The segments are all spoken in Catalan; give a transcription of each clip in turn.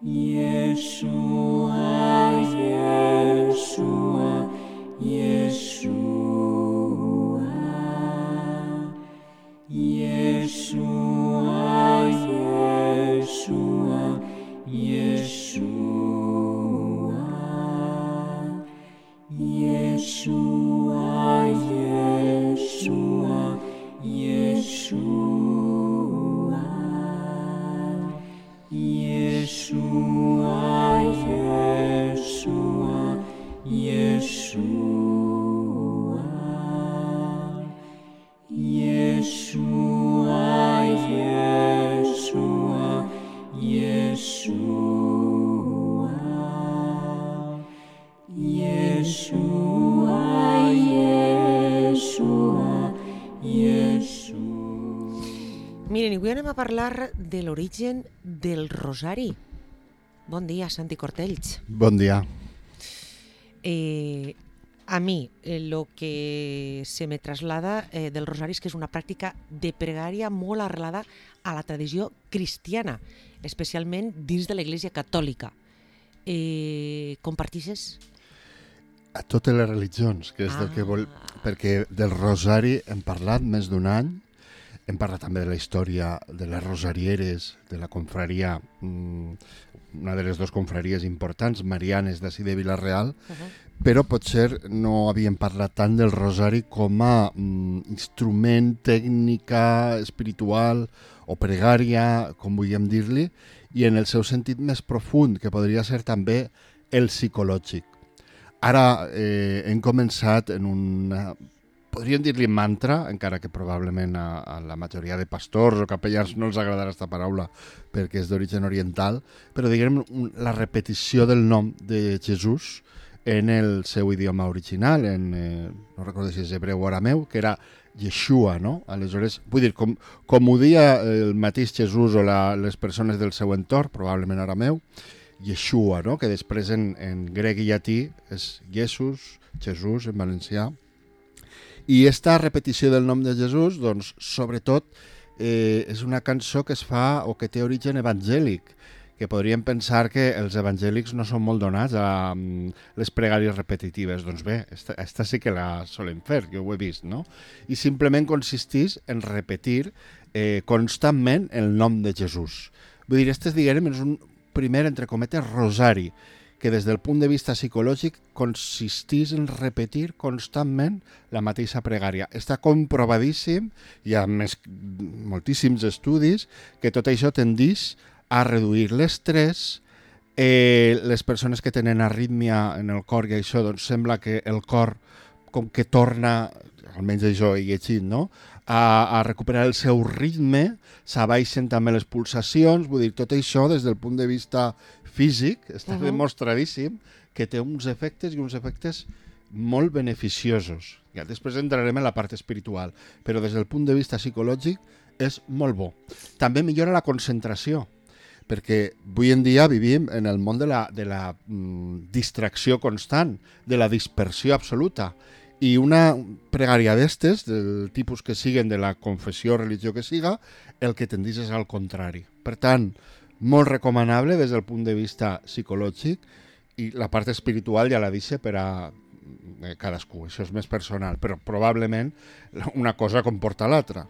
Yeshua, Yeshua, Yeshua, Yeshua, Yeshua, Yeshua, Yeshua, Yeshua, Yeshua, Yeshua, Yeshua, Yeshua, Yeshua, Yeshua, Yeshua, Yeshua, Yeshua, Yeshua. Miren, avui anem a parlar de l'origen del rosari. Bon dia, Santi Cortells. Bon dia. A mí lo que se me traslada del rosari és que és una pràctica de pregària molt arrelada a la tradició cristiana, especialment dins de l'Església Catòlica. Compartixes? A totes les religions, que és del que vol... Perquè del rosari hem parlat més d'un any, hem parlat també de la història de les rosarieres, de la confraria, una de les dues confraries importants, marianes d'ací de Vila-real, però potser no havíem parlat tant del rosari com a instrument, tècnica, espiritual o pregària, com vulguem dir-li, i en el seu sentit més profund, que podria ser també el psicològic. Ara hem començat en una... Podríem dir-li mantra, encara que probablement a la majoria de pastors o capellans no els agradarà aquesta paraula perquè és d'origen oriental, però diguem la repetició del nom de Jesús en el seu idioma original, no recordo si és hebreu o arameu, que era Yeshua, no? Aleshores, vull dir, com ho dia el mateix Jesús o les persones del seu entorn, probablement arameu, Yeshua, no? Que després en grec i llatí és Jesús, Jesús en valencià. I aquesta repetició del nom de Jesús, doncs, sobretot, és una cançó que es fa o que té origen evangèlic, que podríem pensar que els evangèlics no són molt donats a les pregàries repetitives. Doncs bé, esta sí que la solen fer, que ho he vist, no? I simplement consisteix en repetir constantment el nom de Jesús. Vull dir, este, diguem, és un primer, entre cometes, rosari, que des del punt de vista psicològic consisteix en repetir constantment la mateixa pregària. Està comprovadíssim, hi ha moltíssims estudis, que tot això tendeix a reduir l'estrès. Les persones que tenen arrítmia en el cor i això, doncs sembla que el cor com que torna, almenys això he llegit, no?, a recuperar el seu ritme, s'abaixen també les pulsacions, vull dir, tot això des del punt de vista físic està demostradíssim que té uns efectes i uns efectes molt beneficiosos. Ja després entrarem en la part espiritual, però des del punt de vista psicològic és molt bo. També millora la concentració, perquè avui en dia vivim en el món de la distracció constant, de la dispersió absoluta, i una pregària d'estes, del tipus que siguen, de la confessió o religió que siga, el que tendeix és al contrari. Per tant, molt recomanable des del punt de vista psicològic, i la part espiritual ja la deixa per a cadascú, això és més personal, però probablement una cosa comporta l'altra.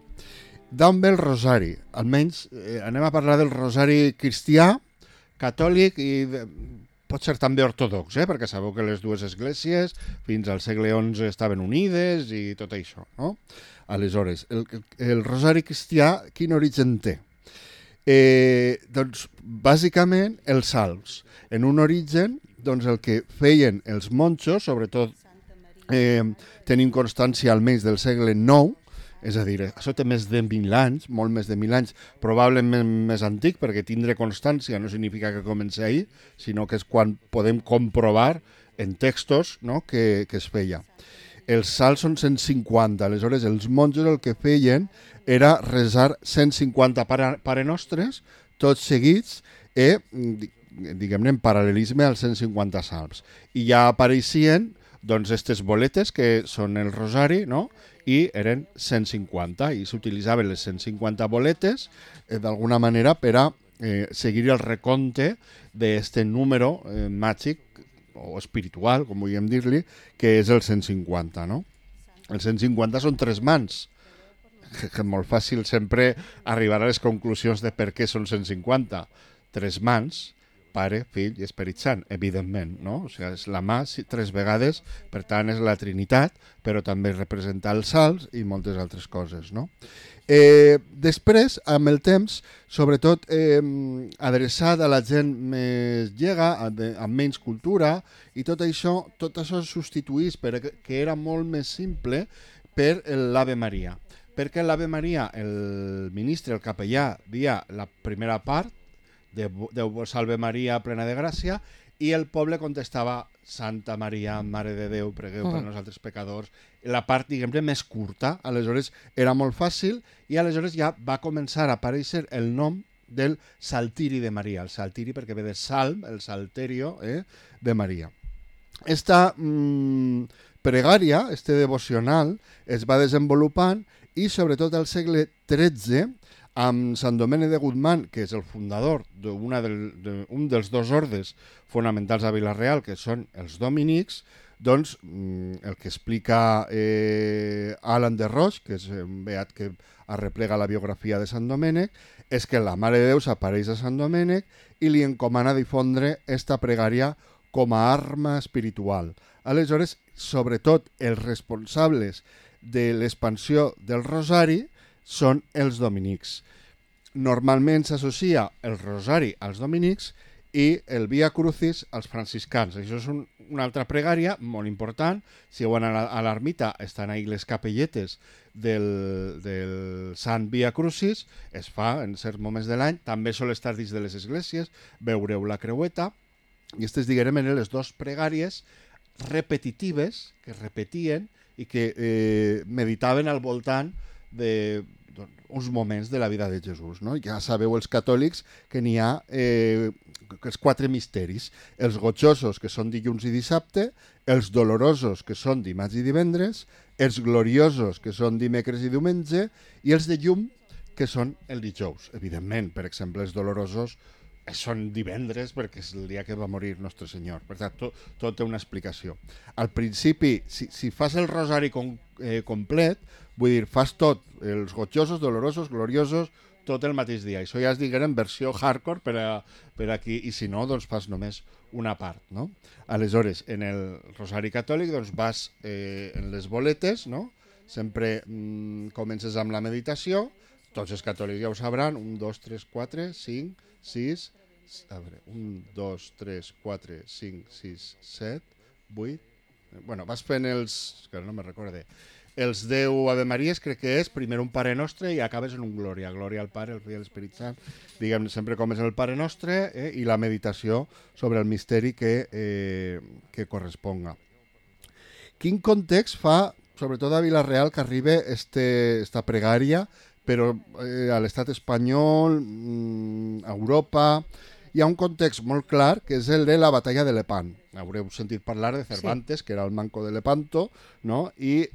D'on ve el rosari? Almenys anem a parlar del rosari cristià, catòlic i pot ser també ortodox, perquè sabeu que les dues esglésies fins al segle XI estaven unides i tot això, no? Aleshores, el rosari cristià quin origen té? Doncs, bàsicament, els salms. En un origen, doncs, el que feien els monjos, sobretot tenim constància almenys del segle IX, és a dir, això té més de 1.000 anys, molt més de 1.000 anys, probablement més antic, perquè tindre constància no significa que comenci ahir, sinó que és quan podem comprovar en textos, no?, que es feia. Els salms són 150, aleshores els monjos el que feien era resar 150 Pare Nostres, tots seguits, diguem-ne, en paral·lelisme als 150 salms. I ja apareixien, doncs, aquestes boletes, que són el rosari, no?, i eren 150, i s'utilitzaven les 150 boletes d'alguna manera per a seguir el recompte d'este número màgic o espiritual, com vulguem dir-li, que és el 150, no? El 150 són 3 mans. Que és molt fàcil sempre arribar a les conclusions de per què són 150. 3 mans, Pare, Fill i Esperit Sant, evidentment, no? O sigui, és la mà 3 vegades, per tant és la Trinitat, però també representa els salts i moltes altres coses, no? Després, amb el temps, sobretot adreçat a la gent més llega, amb menys cultura, i tot això es substituís, perquè era molt més simple, per l'Ave Maria. Perquè l'Ave Maria, el ministre, el capellà, dia la primera part, Déu vos salve Maria, plena de gràcia, i el poble contestava Santa Maria, Mare de Déu, pregueu per nosaltres pecadors. La part, diguem-ne, més curta, aleshores era molt fàcil, i aleshores ja va començar a aparèixer el nom del Saltiri de Maria. El Saltiri perquè ve de Salm, el Salterio de Maria. Esta pregària, este devocional, es va desenvolupant i sobretot al segle XIII, amb Sant Domènec de Guzmán, que és el fundador d'un dels 2 ordes fonamentals a Vila-real, que són els dominics, doncs el que explica Alan de Roche, que és un beat que arreplega la biografia de Sant Domènec, és que la Mare de Déu s'apareix a Sant Domènec i li encomana difondre esta pregària com a arma espiritual. Aleshores, sobretot els responsables de l'expansió del rosari són els dominics. Normalment s'associa el rosari als dominics i el Via Crucis als franciscans. Això és una altra pregària molt important. Si heu anat a l'ermita, estan ahí les capelletes del Sant Via Crucis, es fa en certs moments de l'any, també sol estar dins de les esglésies, veureu la creueta, i aquestes, diguem, eren les 2 pregàries repetitives que repetien i que meditaven al voltant d'uns moments de la vida de Jesús, no? Ja sabeu els catòlics que n'hi ha els 4 misteris, els gojosos, que són dilluns i dissabte, els dolorosos, que són dimarts i divendres, els gloriosos, que són dimecres i diumenge, i els de llum, que són el dijous. Evidentment, per exemple, els dolorosos són divendres perquè és el dia que va morir Nostre Senyor. Per tant, tot té una explicació. Al principi, si fas el rosari complet, vull dir, fas tot, els gojosos, dolorosos, gloriosos, tot el mateix dia. Això ja es diguem en versió hardcore per aquí, i si no, doncs fas només una part, no? Aleshores, en el rosari catòlic, doncs vas en les boletes, no? Sempre comences amb la meditació, tots els catòlics ja ho sabran, 1, 2, 3, 4, 5, 6, a veure, 1, 2, 3, 4, 5, 6, 7, 8... Bueno, vas fent que no me recorde, els 10 Ave Maries, crec que és, primer un Pare Nostre i acabes en un Glòria. Glòria al Pare, al Fill i a l'Esperit Sant. Diguem, sempre comences el Pare Nostre i la meditació sobre el misteri que corresponga. Quin context fa, sobretot a Vila-real, que arriba esta pregària, però a l'estat espanyol, a Europa, hi ha un context molt clar, que és el de la batalla de Lepant. Haureu sentit parlar de Cervantes, sí, que era el manco de Lepanto, no? I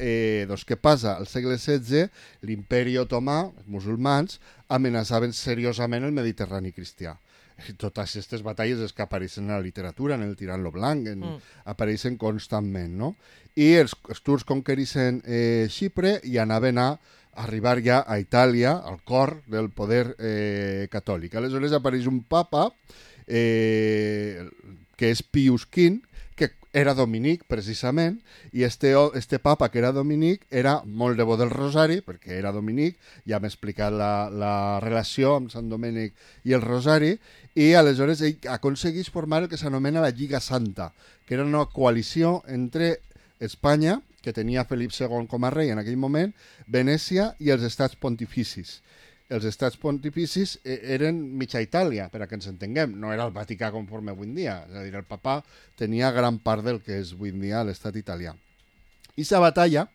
doncs, què passa? Al segle XVI, l'imperi otomà, els musulmans, amenaçaven seriosament el Mediterrani cristià. Totes aquestes batalles que apareixen en la literatura, en el Tirant lo Blanc, apareixen constantment, no? I els turcs conquereixen Xipre i anaven a arribar ja a Itàlia, al cor del poder catòlic. Aleshores apareix un papa que és Pius V, que era dominic, precisament, i este papa, que era dominic, era molt devot del rosari, perquè era dominic, ja m'he explicat la relació amb Sant Domènec i el rosari, i aleshores ell aconsegueix formar el que s'anomena la Lliga Santa, que era una coalició entre Espanya, que tenia Felip II com a rei en aquell moment, Venècia i els estats pontificis. Els estats pontificis eren mitja Itàlia, per a que ens entenguem. No era el Vaticà conforme avui en dia. És a dir, el papa tenia gran part del que és avui en dia l'estat italià. Aquesta batalla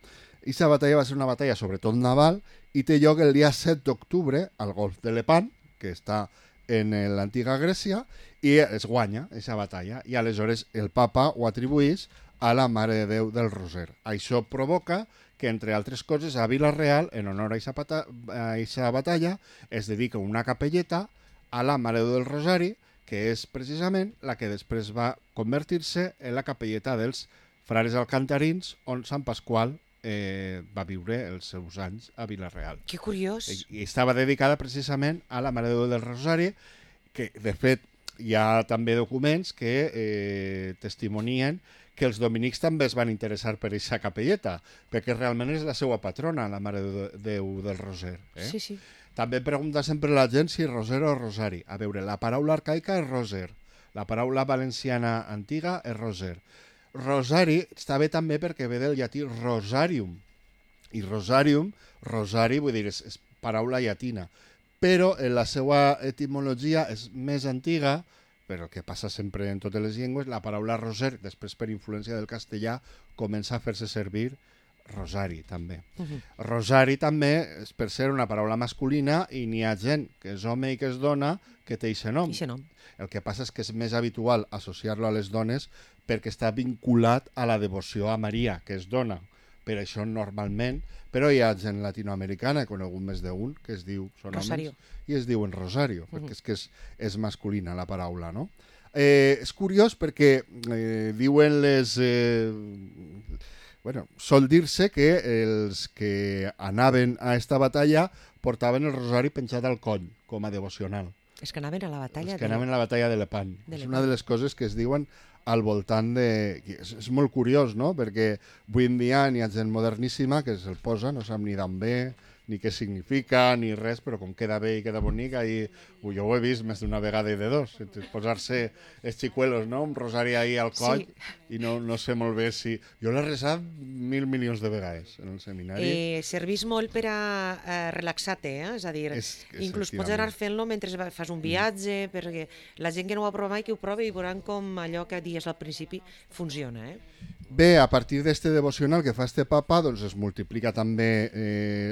va ser una batalla sobretot naval i té lloc el dia 7 d'octubre al golf de Lepant, que està en l'antiga Grècia, i es guanya aquesta batalla. I aleshores el papa ho atribueix a la Mare de Déu del Roser. Això provoca que, entre altres coses, a Vila-real, en honor a aquesta batalla, es dedica una capelleta a la Mare de Déu del Rosari, que és precisament la que després va convertir-se en la capelleta dels frares alcantarins, on Sant Pasqual va viure els seus anys a Vila-real. Que curiós. I estava dedicada precisament a la Mare de Déu del Rosari, que de fet hi ha també documents que testimonien que els dominics també es van interessar per aquesta capelleta, perquè realment és la seva patrona, la Mare de Déu del Roser. Sí, sí. També pregunta sempre la gent si roser o rosari. A veure, la paraula arcaica és roser, la paraula valenciana antiga és roser. Rosari està bé també perquè ve del llatí rosarium, i rosarium, rosari, vull dir, és paraula llatina, però en la seva etimologia és més antiga, però el que passa sempre en totes les llengües, la paraula roser, després per influència del castellà, comença a fer-se servir rosari, també. Rosari també és per ser una paraula masculina i n'hi ha gent que és home i que és dona que té aquest nom. El que passa és que és més habitual associar-lo a les dones perquè està vinculat a la devoció a Maria, que és dona. Per això normalment, però hi ha gent latinoamericana, he conegut més d'un, que es diu, són Rosario. homes, i es diuen Rosario, perquè és que és masculina la paraula, no? És curiós perquè diuen les... sol dir-se que els que anaven a esta batalla portaven el rosari penjat al coll, com a devocional. És que anaven a la batalla anaven a la batalla de Lepant. És una de les coses que es diuen al voltant de... És molt curiós, no? Perquè avui en dia n'hi ha gent moderníssima que se'l posa, no sap ni d'on ve, ni què significa, ni res, però com queda bé i queda bonic, ahí, jo ho he vist més d'una vegada i de dos, posar-se els xicuelos, no? Un rosari ahí al coll, i no sé molt bé si... Jo l'he resat 1.000 milions de vegades en el seminari. Servís molt per a relaxar-te, és a dir, inclús pots anar fent-lo mentre fas un viatge, perquè la gent que no ho ha provat mai que ho provi i veuran com allò que dies al principi funciona, Bé, a partir d'este devocional que fa este papa, doncs es multiplica també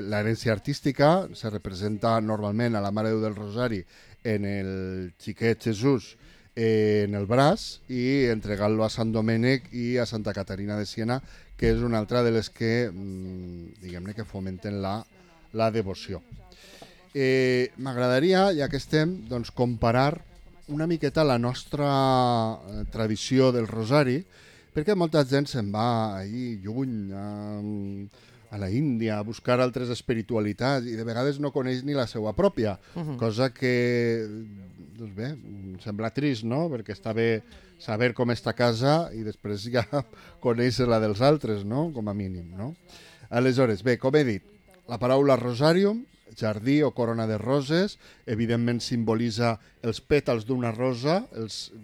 l'herència artística, se representa normalment a la Mare de Déu del Rosari en el xiquet Jesús en el braç i entregant-lo a Sant Domènec i a Santa Caterina de Siena, que és una altra de les que, diguem-ne, que fomenten la devoció. M'agradaria, ja que estem, doncs, comparar una miqueta la nostra tradició del Rosari, perquè molta gent se'n va allí lluny, a la Índia, a buscar altres espiritualitats i de vegades no coneix ni la seva pròpia, cosa que, doncs bé, sembla trist, no? Perquè està bé saber com està a casa i després ja conèixer la dels altres, no? Com a mínim, no? Aleshores, bé, com he dit, la paraula rosarium, jardí o corona de roses, evidentment simbolitza els pètals d'una rosa,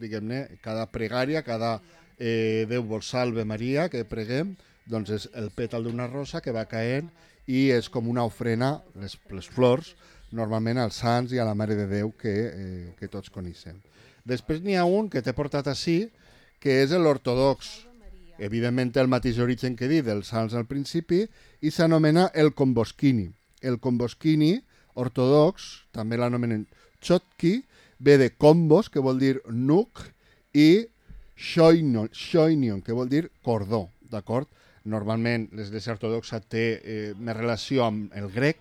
diguem-ne, cada pregària, cada Déu vos salve Maria, que preguem, doncs és el pètal d'una rosa que va caent i és com una ofrena, les flors, normalment als sants i a la Mare de Déu que tots coneixem. Després n'hi ha un que t'he portat així, que és l'ortodox. Evidentment té el mateix origen que he dit dels sants al principi i s'anomena el Komboskini. El Komboskini ortodox, també l'anomenen Chotki, ve de kombos, que vol dir nuc, i Shoinion, que vol dir cordó, d'acord? Normalment l'Església Ortodoxa té més relació amb el grec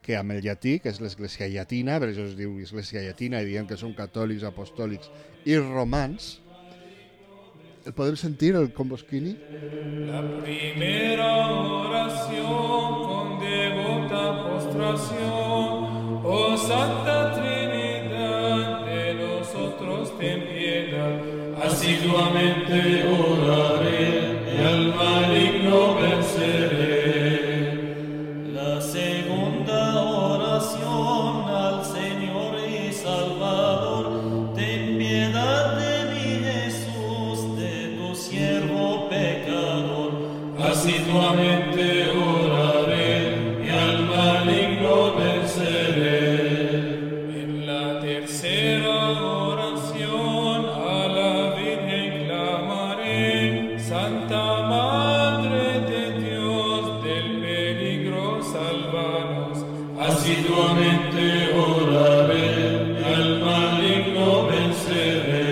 que amb el llatí, que és l'Església Llatina, per això es diu Església Llatina i diem que són catòlics, apostòlics i romans. El podem sentir, el Komboskini? La primera oración con devota postración, oh Santa Trinidad, de nosotros ten piedad. Asiduamente oraré y al maligno venceré. La segunda oración al Señor y Salvador, ten piedad de mí, Jesús, de tu siervo pecador. Asiduamente oraré y al maligno venceré. En la tercera oración a la Virgen clamaré, Santa Madre de Dios, del peligro salvanos. Asiduamente oraré y al maligno venceré.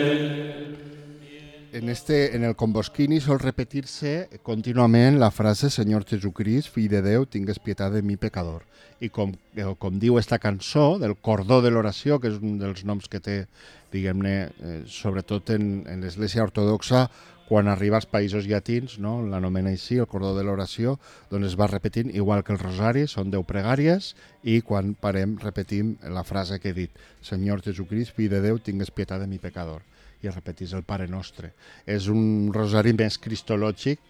en el Comboschini sol repetir-se contínuament la frase Senyor Jesucrist, fill de Déu, tingues pietat de mi pecador. I com diu esta cançó, del cordó de l'oració, que és un dels noms que té, diguem-ne, sobretot en l'Església Ortodoxa, quan arriba als països llatins, no? L'anomena així, el cordó de l'oració, doncs es va repetint igual que el rosari, són 10 pregàries, i quan parem repetim la frase que he dit, Senyor Jesucrist, fill de Déu, tingues pietat de mi pecador. I repetís el Pare Nostre. És un rosari més cristològic,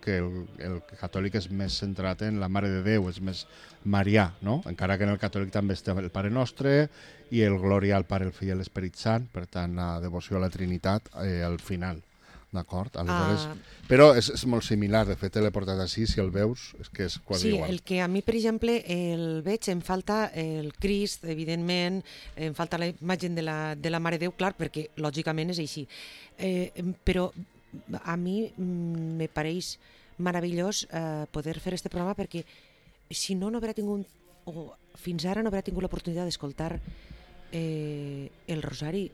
que el catòlic és més centrat en la Mare de Déu, és més marià, no? Encara que en el catòlic també està el Pare Nostre i el Glòria al Pare, el Fill i l'Esperit Sant, per tant la devoció a la Trinitat al final. D'acord? Aleshores, però és molt similar, de fet l'he portat així, si el veus, és que és quasi igual. Sí, el que a mi, per exemple, el veig, em falta el Crist, evidentment, em falta la imatge de la Mare de Déu, clar, perquè lògicament és així. Però a mi me pareix meravellós poder fer este programa perquè si no haurà tingut, o fins ara no haurà tingut l'oportunitat d'escoltar el rosari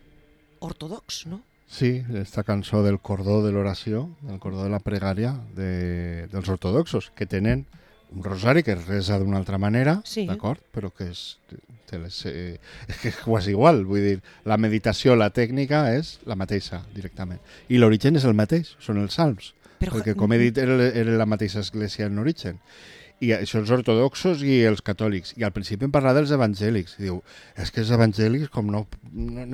ortodox, no? Sí, esta cançó del cordó de l'oració, del cordó de la pregària dels ortodoxos, que tenen un rosari que es resa d'una altra manera, sí, d'acord? Però que és que és quasi igual, vull dir, la meditació, la tècnica és la mateixa directament. I l'origen és el mateix, són els salms, perquè com he dit era la mateixa església en origen. I això els ortodoxos i els catòlics. I al principi em parlava dels evangèlics. I diu, és que els evangèlics, com no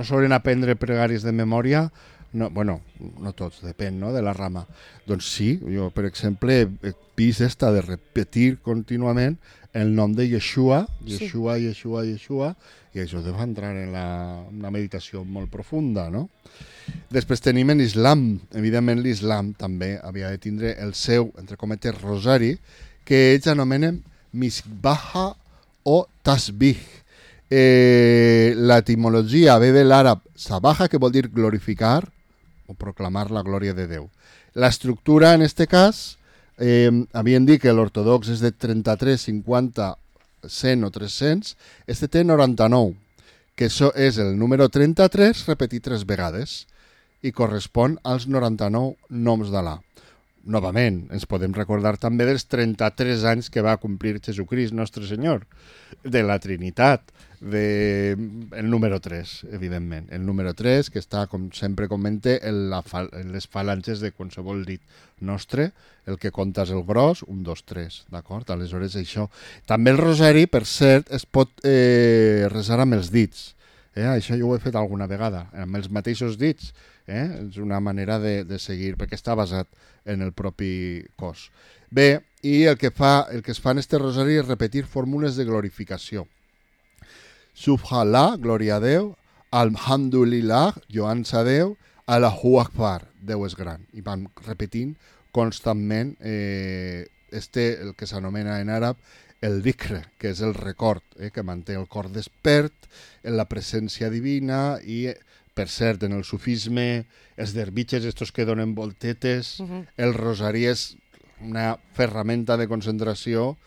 solen aprendre pregàries de memòria, no, bueno, no tots, depèn, no?, de la rama. Doncs sí, jo, per exemple, he vist esta de repetir contínuament el nom de Yeshua, Yeshua, sí. Yeshua, Yeshua, i això deu entrar en una meditació molt profunda, no? Després tenim l'islam. Evidentment l'islam també havia de tindre el seu, entre cometes, rosari, que ells anomenen misbaha o tasbih. L'etimologia ve de l'àrab sabaha, que vol dir glorificar o proclamar la glòria de Déu. L'estructura, en este cas, havien dit que l'ortodox és de 33, 50, 100 o 300, este té 99, que això és el número 33 repetit 3 vegades i correspon als 99 noms d'Allah. Novament, ens podem recordar també dels 33 anys que va complir Jesucrist, nostre Senyor, de la Trinitat, el número 3, evidentment. El número 3, que està, com sempre comente, en les falanges de qualsevol dit nostre, el que compta és el gros, 1, 2, 3, d'acord? Aleshores, això. També el rosari, per cert, es pot resar amb els dits. Això jo ho he fet alguna vegada, amb els mateixos dits. És una manera de seguir, perquè està basat en el propi cos. Bé, i el que es fa en este rosari és repetir fórmules de glorificació. Subhanallah, glòria a Déu, Alhamdulillah, lloança a Déu, Allahu Akbar, Déu és gran. I vam repetint constantment el que s'anomena en àrab el dhikr, que és el record, que manté el cor despert en la presència divina i, per cert, en el sufisme, els derbitxes, estos que donen voltetes, el rosari és una ferramenta de concentració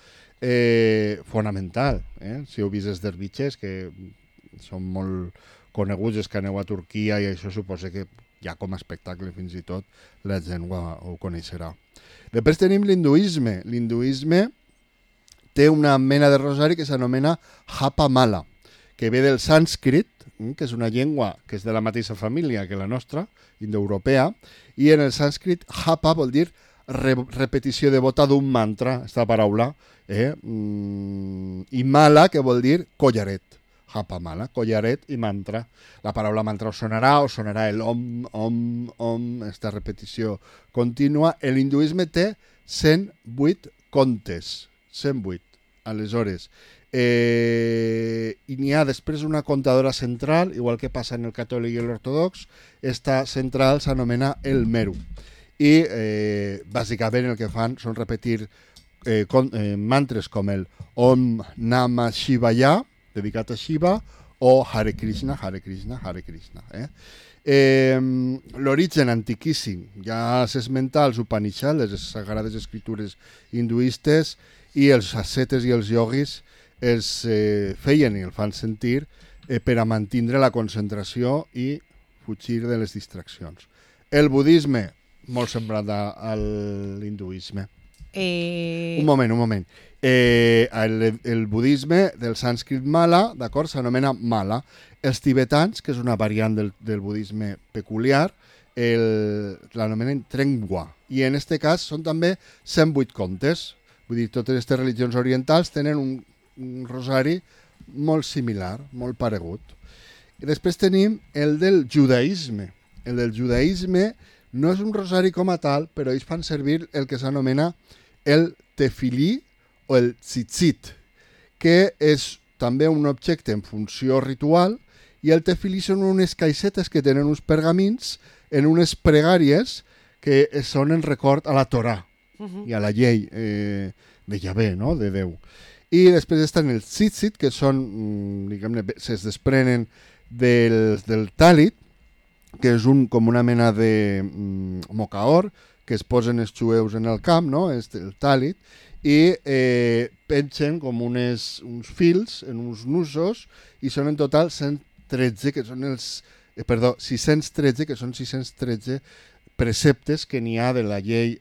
fonamental. Si heu vist els derbitxes, que són molt coneguts, els que aneu a Turquia, i això suposa que ja com a espectacle fins i tot la gent ho coneixerà. Després tenim l'hinduisme. L'hinduisme té una mena de rosari que s'anomena Japa Mala, que ve del sànscrit, que és una llengua que és de la mateixa família que la nostra, indoeuropea, i en el sànscrit Japa vol dir repetició devota d'un mantra, esta paraula, i Mala, que vol dir collaret. Japa Mala, collaret i mantra. La paraula mantra us sonarà el om, esta repetició contínua. L'hinduisme té 108 contes, 108. Aleshores, i n'hi ha després una comptadora central, igual que passa en el catòlic i l'ortodox. Esta central s'anomena el Meru. I bàsicament el que fan són repetir mantres com el Om Namah Shivaya, dedicat a Shiva, o Hare Krishna, Hare Krishna, Hare Krishna. L'origen antiquíssim, ja s'esmenta als Upanishads, les sagrades escritures hinduistes, i els ascetes i els yogis els feien i el fan sentir per a mantindre la concentració i fugir de les distraccions. El budisme, molt semblant a l'hinduisme. Un moment. El budisme del sànscrit mala, d'acord, s'anomena mala. Els tibetans, que és una variant del budisme peculiar, l'anomenen trengwa. I en aquest cas són també 108 contes. Vull dir, totes aquestes religions orientals tenen un rosari molt similar, molt paregut. I després tenim el del judaïsme. El del judaïsme no és un rosari com a tal, però ells fan servir el que s'anomena el tefilí o el tzitzit, que és també un objecte en funció ritual, i el tefilí són unes caixetes que tenen uns pergamins en unes pregàries que són en record a la Torà i a la llei de Yahvé, no? De Déu. I després estan els tzitzit, que són, diguem-ne, es desprenen del tàlit, que és com una mena de mocaor que es posen els jueus en el camp, no? El tàlit, i pengen com uns fils en uns nusos, i són en total 613, que són 613 preceptes que n'hi ha de la llei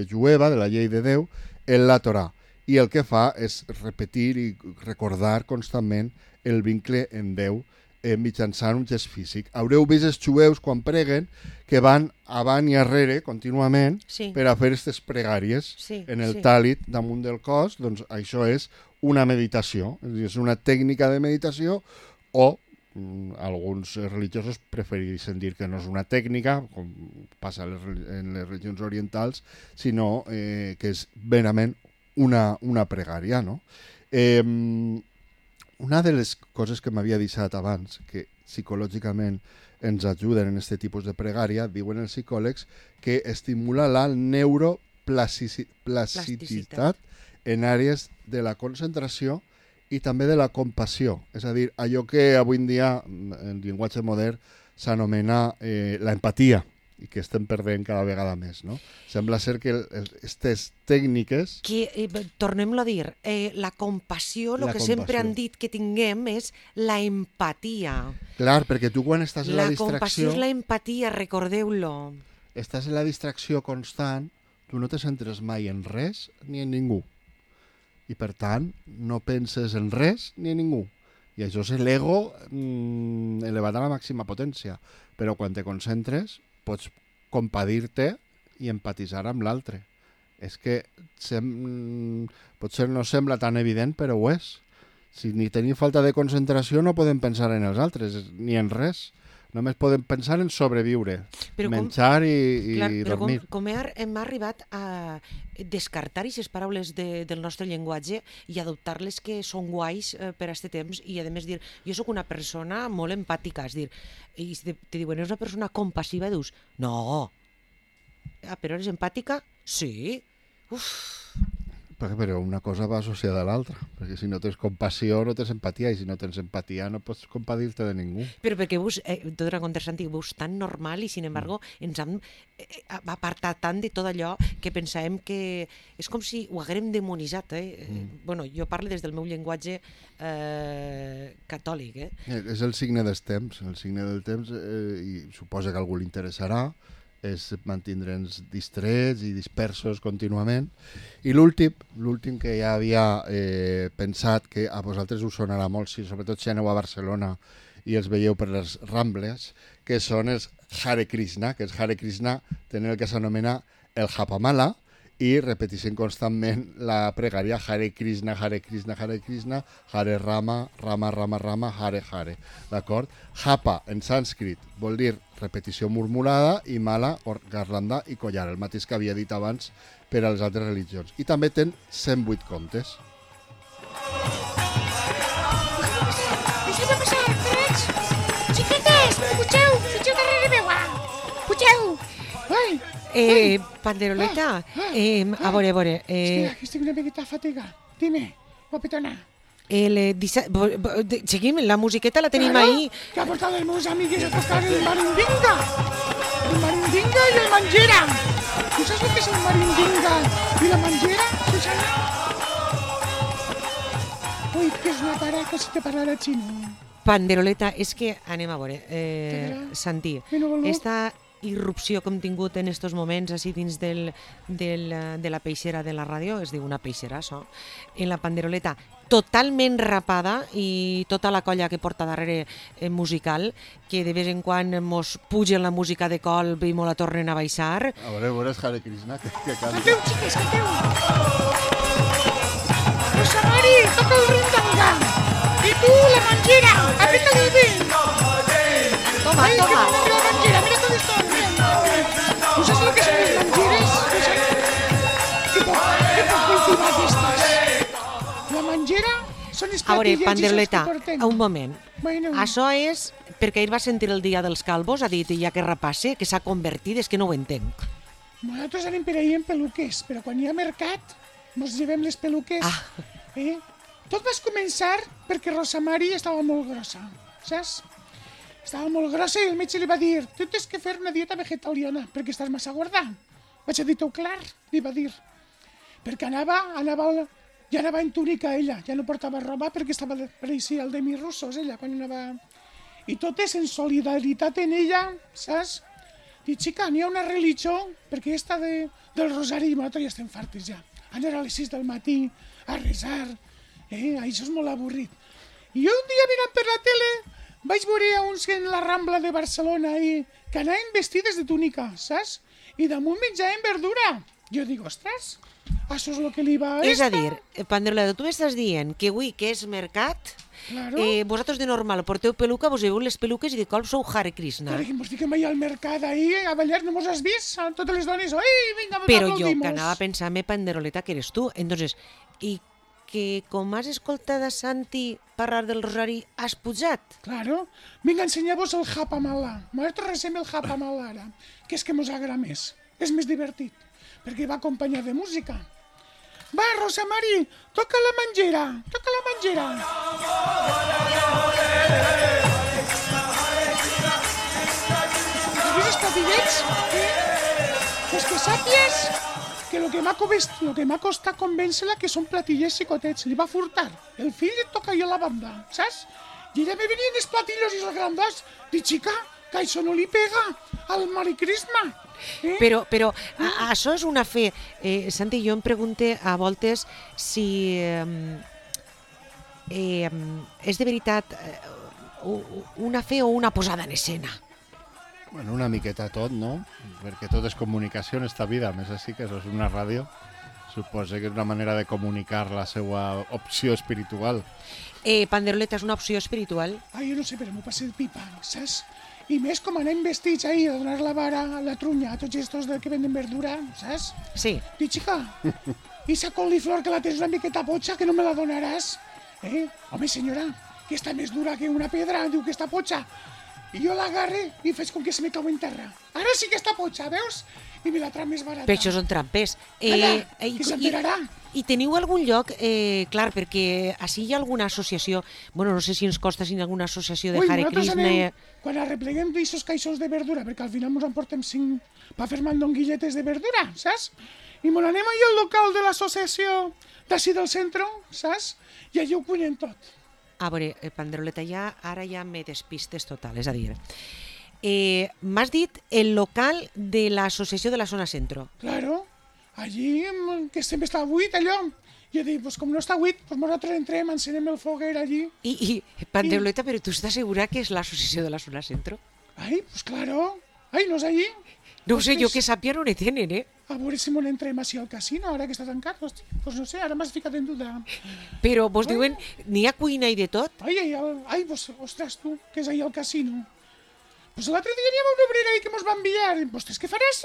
jueva, de la llei de Déu, en la Torà. I el que fa és repetir i recordar constantment el vincle en Déu mitjançant un gest físic. Haureu vist els jueus quan preguen que van avant i arrere contínuament per a fer aquestes pregàries en el tàlit damunt del cos. Doncs això és una meditació, és una tècnica de meditació, o alguns religiosos prefereixen dir que no és una tècnica, com passa en les religions orientals, sinó que és verament una pregària, no? Una de les coses que m'havia deixat abans, que psicològicament ens ajuden en aquest tipus de pregària, diuen els psicòlegs que estimula la neuroplasticitat en àrees de la concentració i també de la compassió. És a dir, allò que avui en dia, en llenguatge modern, s'anomena l'empatia, i que estem perdent cada vegada més, no? Sembla ser que aquestes tècniques... Tornem-lo a dir, la compassió, el que sempre han dit que tinguem és la empatia. Clar, perquè tu quan estàs en la distracció... La compassió és la empatia, recordeu-lo. Estàs en la distracció constant, tu no te centres mai en res ni en ningú. I per tant, no penses en res ni en ningú. I això és l'ego elevat a la màxima potència. Però quan te concentres, pots compadir-te i empatitzar amb l'altre. És que potser no sembla tan evident, però ho és. Si ni tenim falta de concentració no podem pensar en els altres, ni en res. Només podem pensar en sobreviure, menjar i dormir. Com hem arribat a descartar aquestes paraules del nostre llenguatge i adoptar-les que són guais per a aquest temps, i a més dir, jo sóc una persona molt empàtica, és dir, i te diuen, és una persona compassiva, i dius, no, però eres empàtica? Sí. Però una cosa va associada a l'altra, perquè si no tens compassió no tens empatia, i si no tens empatia no pots compadir-te de ningú. Però perquè tot era contrastant, veus tan normal, i sin embargo ens hem apartat tant de tot allò que pensàvem que és com si ho haguérem demonitzat. Bueno, jo parlo des del meu llenguatge catòlic. És el signe dels temps, i suposa que a algú li interessarà, és mantindre'ns distrets i dispersos contínuament. I l'últim que ja havia pensat, que a vosaltres us sonarà molt, sobretot si aneu a Barcelona i els veieu per les Rambles, que són els Hare Krishna, que els Hare Krishna tenen el que s'anomena el Japamala, i repeteixen constantment la pregària Hare Krishna, Hare Krishna, Hare Krishna, Hare Rama, Rama Rama Rama, Hare Hare. D'acord? Japa, en sànscrit, vol dir repetició murmurada, i mala, garlanda i collar, el mateix que havia dit abans per a les altres religions. I també ten 108 contes. Deixeu-me passar, freds! Xiquetes, pugeu darrere meua! Pugeu! Ai! Panderoleta, a veure... Estic una miqueta fatigat. Dime, guapetona. Seguim, la musiqueta la tenim ahí. Que ha portat els meus amigues a tocar el marindinga. El marindinga i el manjera. Tu saps el que és el marindinga i la manjera, Susana? Ui, que és una taraca si te parla xino. Panderoleta, és que anem a veure, Santi, irrupció que hem tingut en estos moments així dins de la peixera de la ràdio, es diu una peixera, això, en la panderoleta, totalment rapada, i tota la colla que porta darrere musical, que de vez en quan mos pugen la música de colp i mos la tornen a baixar. A veure, Hare Krishna, que canta. Canteu, xiques, canteu! Rosa Mari, toca el rindanga! I tu, la manjera, aprieta-li el vent! Toma, Ai, que toma. bonita la manjera, mira com està el vent! Tu saps el que són les manjeres? Que poc cultivar aquestes? La manjera són les A veure, platilles panderoleta, que portem. un moment. Bueno, Això és perquè ell va sentir el dia dels calvos, ha dit, ja que repasse, que s'ha convertit, és que no ho entenc. nosaltres anem per ahir en peluques, però quan hi ha mercat, ens llevem les peluques. Tot va començar perquè Rosa Mari estava molt grossa, saps? Estava molt grossa i el metge li va dir: tu tens que fer una dieta vegetariana perquè estàs massa gorda. Vaig a dir-ho clar, li va dir. Perquè ja anava en túnica ella, ja no portava roba perquè pareixia el Demi Russos, ella, quan anava... I tot és en solidaritat en ella, saps? Dic, xica, n'hi ha una religió, perquè esta del rosari, nosaltres ja estem fartes ja. Anar a les 6 del matí a resar, això és molt avorrit. I jo un dia mirant per la tele vaig veure a uns en la Rambla de Barcelona que anaven vestides de túnica, saps? I damunt menjaven verdura. Jo dic, ostres, això és el que li va a És a esta. dir, Panderoleta, tu m'estàs dient que avui que és mercat, Claro. vosaltres de normal porteu peluca, vos lleveu les peluques i de colp sou Hare Krishna. Perquè mos fiquem allà al mercat, ahir, a ballar, no mos has vist? Totes les dones, ai, vinga, Però jo aplaudimos. que anava a pensar-me, Panderoleta, que eres tu. Entonces, i que com has escoltat a Santi parlar del rosari, has pujat? Claro. Vinga, ensenyar-vos el Japamala. Nosaltres recem el Japamala ara, que és que mos agrada més. És més divertit, perquè va acompanyat de música. Va, Rosa Mari, toca la manjera, toca la manjera. Has vist els platillets? Pues que sàpies que lo que m'ha costat convèncer-la que són platillers xicotets. Li va furtar. El fill et toca jo la banda, saps? I ella me venien els platillos i els grandots. Dic, xica, que això no li pega al Hare Krishna. Però això és una fe. Santi, jo em pregunte a voltes si és de veritat una fe o una posada en escena. Bueno, una miqueta tot, no? Perquè tot és comunicació en esta vida, a més així que això és una ràdio. Suposo que és una manera de comunicar la seva opció espiritual. Panderoleta és una opció espiritual? Ai, jo no sé, però m'ho passé el pipa, saps? I més com anem vestits ahir a donar la vara a la trunya a tots estos que venden verdura, saps? Sí. Dic, xica, i esa coliflor que la tens una miqueta potxa, que no me la donaràs? Home, senyora, que està més dura que una pedra, diu que està potxa. I jo l'agarre i faig com que se me cau en terra. Ara sí que està potxa, veus? I me la trau més barata. Però això són trampers. que s'enterarà. I teniu algun lloc, clar, perquè així hi ha alguna associació, bueno, no sé si ens costa si hi ha alguna associació de Hare nosaltres Krishna... anem, quan arrepleguem d'aixos caixons de verdura, perquè al final ens en portem 5 per fer mandonguilletes de verdura, saps? I me n'anem allà al local de l'associació d'ací del centre, saps? I allà ho cuinem tot. A veure, Panderoleta, ara ja me despistes total, és a dir... M'has dit el local de l'associació de la zona centro. Claro, allí, que sempre està buit allò. Jo dic, pues com no està buit, pues nosaltres entrem, encenem el foguer allí. I Panderoleta, però tu estàs segura que és l'associació de la zona centro? Ai, pues claro. Ai, no és allí? No ho sé, jo que sàpia no ne tenen, A veure si m'on entrem així al casino, ara que està tancat. Hosti, pues no sé, ara m'has ficat en duda. Però vos diuen, n'hi ha cuina i de tot? Ai, pues, ostres, tu, que és ahí al casino. Pues l'altre dia n'hi havia una obrera ahí que mos va enviar. Pues què faràs,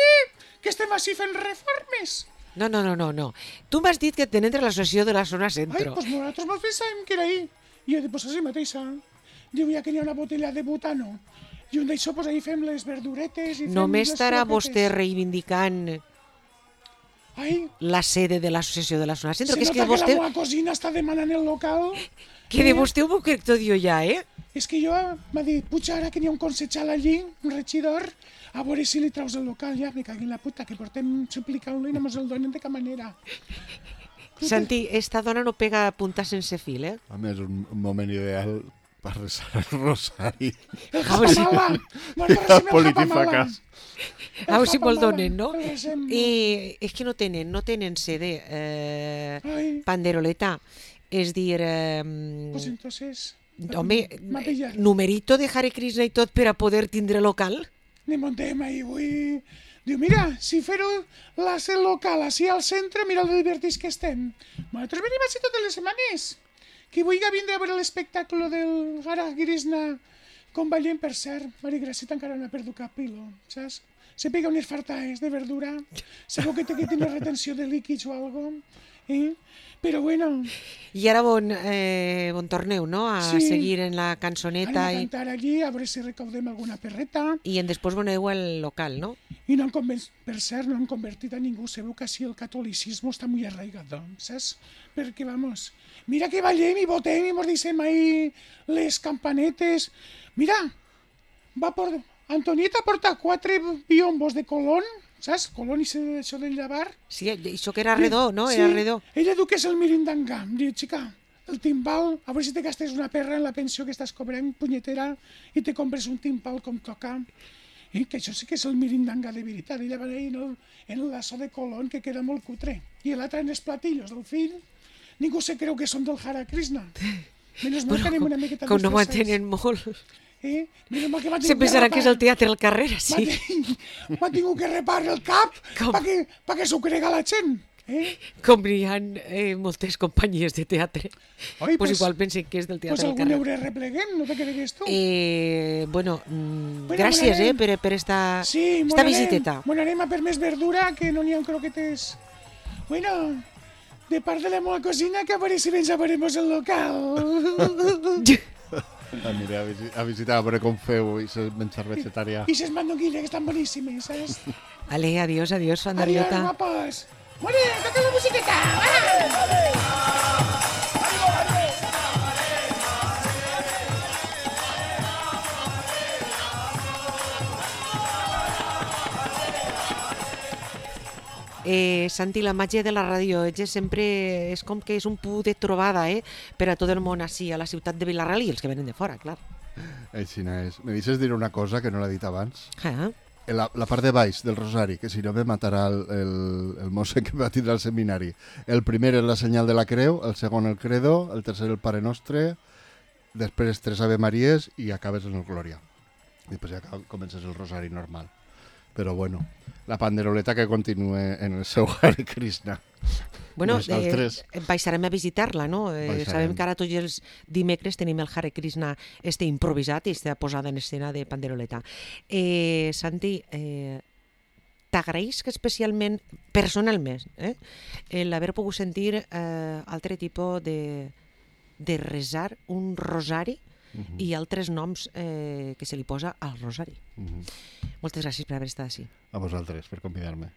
que estem així fent reformes? No. Tu m'has dit que tenen l'associació de la zona Ai, centro. pues nosaltres mos pensàvem que era ahí. I jo dic, pues així mateixa. Diu, ja que n'hi ha una botella de butano. I un d'això, pues ahí fem les verduretes i fem No les m'estarà vostè croquetes. reivindicant Ai, la sede de l'associació de la zona centro, se que és nota que vostè... la meva cosina està demanant el local. Que de vostè ho crec tot jo ja, És que jo m'ha dit, puja, ara que n'hi ha un concejal allí, un regidor, a veure si li traus el local, ja, me cagui en la puta, que portem suplicant-lo i no mos el donen de cap manera. Santi, esta dona no pega punta sense fil, A més, un moment ideal per resar el rosari. El japamala. El politifacàs. A veure si me'l donen, no? El resem. És que no tenen CD, Ai. panderoleta. És dir, Pues entonces... home, m'ha pillat. numerito de Hare Krishna i tot per a poder tindre local. Ni montem ahí, vull... Diu, mira, si fer-ho la ser local, així al centre, mira el divertits que estem. Nosaltres venim així totes les setmanes. Qui vulgui vindre a veure l'espectacle del Hare Krishna com ballem, per cert, Mari Graceta encara no ha perdut cap pilo, saps? Se pega unes fartaes de verdura, segur que té que tenir retenció de líquids o algo, Però bueno... I ara on torneu, no? A Sí. seguir en la cançoneta Anem a cantar allí, a veure si recaudem alguna perreta. i després veneu al local, no? I no han per cert, no han convertit a ningú. Sabeu que així el catolicisme està molt arraigado, saps? Perquè, vamos, mira que ballem i votem i mos deixem ahí les campanetes. Mira, Antonieta porta 4 biombos de Colón, saps? Colón i això del llavar. Sí, això que era redó, no? Era redó. Ella diu que és el mirindangà. Em diu, xica, el timbal, a veure si te gastes una perra en la pensió que estàs cobrant, punyetera, i te compres un timbal com toca. Que això sí que és el mirindanga de veritat. Ella va anar en l'asso de Colón, que queda molt cutre. I l'altre en els platillos del fill. Ningú se creu que són del Hare Krishna. Menys mal que anem una miqueta Com no ho disfressats. entenen molt. Menys mal que m'ha Se tingut pensarà que és el repar- teatre al carrer, sí. M'ha tingut que reparar el cap Com? perquè s'ho crega la gent. Com hi ha moltes companyies de teatre. Oi, Pues igual pensen que és del Pues teatre al algun carrer. euro repleguem, no te cregues tu. Bueno, Bueno, gràcies m'anarem. per esta Sí, visiteta. Bueno, anem a per més verdura, que no n'hi ha croquetes. Bueno, de part de la meva cosina, que a veure si ens a veremos el local. Aniré a visitar a veure com feu i se menjar vegetarià. I ses mandonguilles, que estan boníssimes, saps? Ale, adiós, Adiós, Fandariota. guapos. Bueno, toca la musiqueta. Va! Santi, la màgia de la ràdio sempre és com que és un punt de trobada per a tot el món així, a la ciutat de Vilareal i els que venen de fora, clar. Així és. Me deixes dir una cosa que no l'he dit abans? Ah, La part de baix del rosari, que si no me matarà el mosse que va tindre al seminari. El primer és la senyal de la creu, el segon el credo, el tercer el Pare Nostre, després 3 Ave Maries i acabes en el Glòria. I després ja comences el rosari normal. Però bueno, la panderoleta que continue en el seu Hare Krishna. bueno, Nosaltres baixarem a visitar-la, no? Baixarem. Sabem que ara tots els dimecres tenim el Hare Krishna improvisat i posada en escena de panderoleta. Santi, t'agraïs que especialment, personalment, l'haver pogut sentir altre tipus de resar un rosari i altres noms que se li posa al rosari. Moltes gràcies per haver estat així. A vosaltres, per convidar-me.